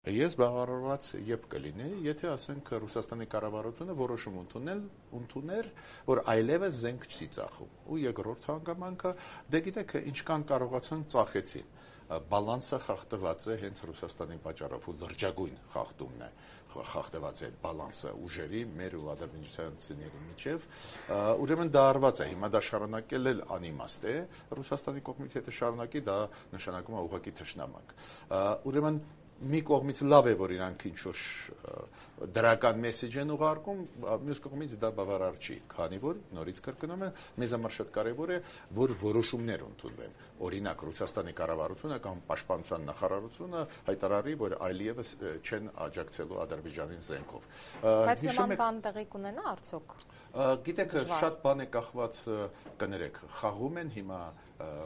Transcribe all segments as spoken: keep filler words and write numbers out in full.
Ես բավարարված երբ կլինի, եթե ասենք Ռուսաստանի կառավարությունը որոշում ընդունել, ընդուներ, որ այլևս զենք չի ծախում։ Ու երկրորդ հանգամանքը, դե գիտեք, ինչքան կարողացան ծախեցին։ Բալանսը խախտված է հենց Ռուսաստանի պատճառով, ու լրջագույն խախտումն է խախտված է այդ բալանսը ուժերի մեր ու ադրբեջանցիների միջև, ուրեմն դա արված է, հիմա դա շարունակել էլ անիմաստ է, Ռուսաստանի կողմից եթե շարունակի, դա նշանակում է ուղղակի թշնամանք։ Ուրեմն մի կողմից լավ է, որ իրանք ինչ-որ դրական մեսեջ են ուղարկում, մյուս կողմից դա բավարար չի, քանի որ նորից կրկնում եմ, մեզ համար շատ կարևոր է, որ որոշումներ ընդունվեն։ Օրինակ Ռուսաստանի կառավարությունը կամ պաշտպանության նախարարությունը հայտարարի, որ այլևս չեն աջակցելու Ադրբեջանին զենքով։ Բայց նման բան տեղի կունենա արդյոք։ Գիտեք, շատ բան է կախված, կներեք, խաղում են հիմա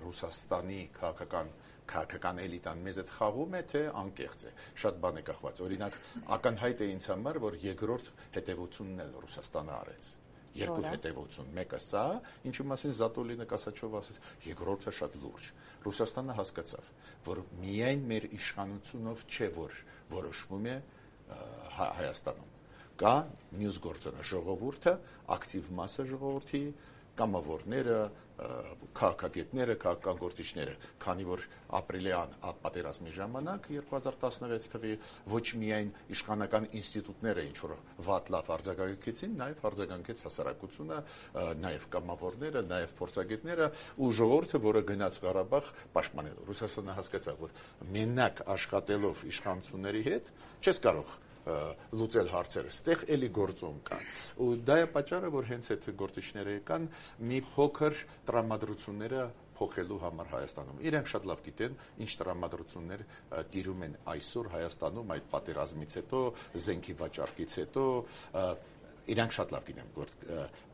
Ռուսաստանի քաղաքական քաղաքական էլիտան մեզ այդ խաղում է, թե անկեղծ է։ Շատ բան է կախված։ Օրինակ, ակնհայտ է ինձ համար, որ երկրորդ հետևությունն էլ Ռուսաստանը արեց։ Երկու հետևություն, մեկը սա, ինչի մասին Զատոլինը կասաչով ասեց, երկրորդը շատ լուրջ։ Ռուսաստանը հասկացավ, որ միայն մեր իշխանությունով չէ, որ որոշվում է Հայաստանում։ Կա մյուս գործոնը, ժողովուրդը, ակտիվ մասը ժողովրդի, կամավորները, քաղաքագետները, քաղաքական գործիչները, քանի որ ապրիլյան պատերազմի ժամանակ երկու հազար տասնվեց թվի ոչ միայն իշխանական ինստիտուտները ինչ որ վատ լավ արձագանքեցին, նաև արձագանքեց հասարակությունը, նաև կամավորները, նաև փորձագետները ու ժողովուրդը, որը գնաց Ղարաբաղ պաշտպանելու։ Ռուսաստանը հասկացավ, որ մենակ աշխատելով իշխանությունների հետ չես կարող լուծել հարցերը, ստեղ էլի գործում կան։ Ու դա է պատճառը, որ հենց այդ գործիչները եկան մի փոքր տրամադրությունները փոխելու համար Հայաստանում։ Իրենք շատ լավ գիտեն, ինչ տրամադրություններ տիրում են այսօր Հայաստանում այդ պատերազմից հետո, զենքի վաճառքից հետո, իրանք շատ լավ գիտեն, որ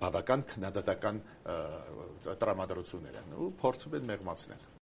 բավական քննադատական տրամադրություններ են ու փորձում են մեղմացնել։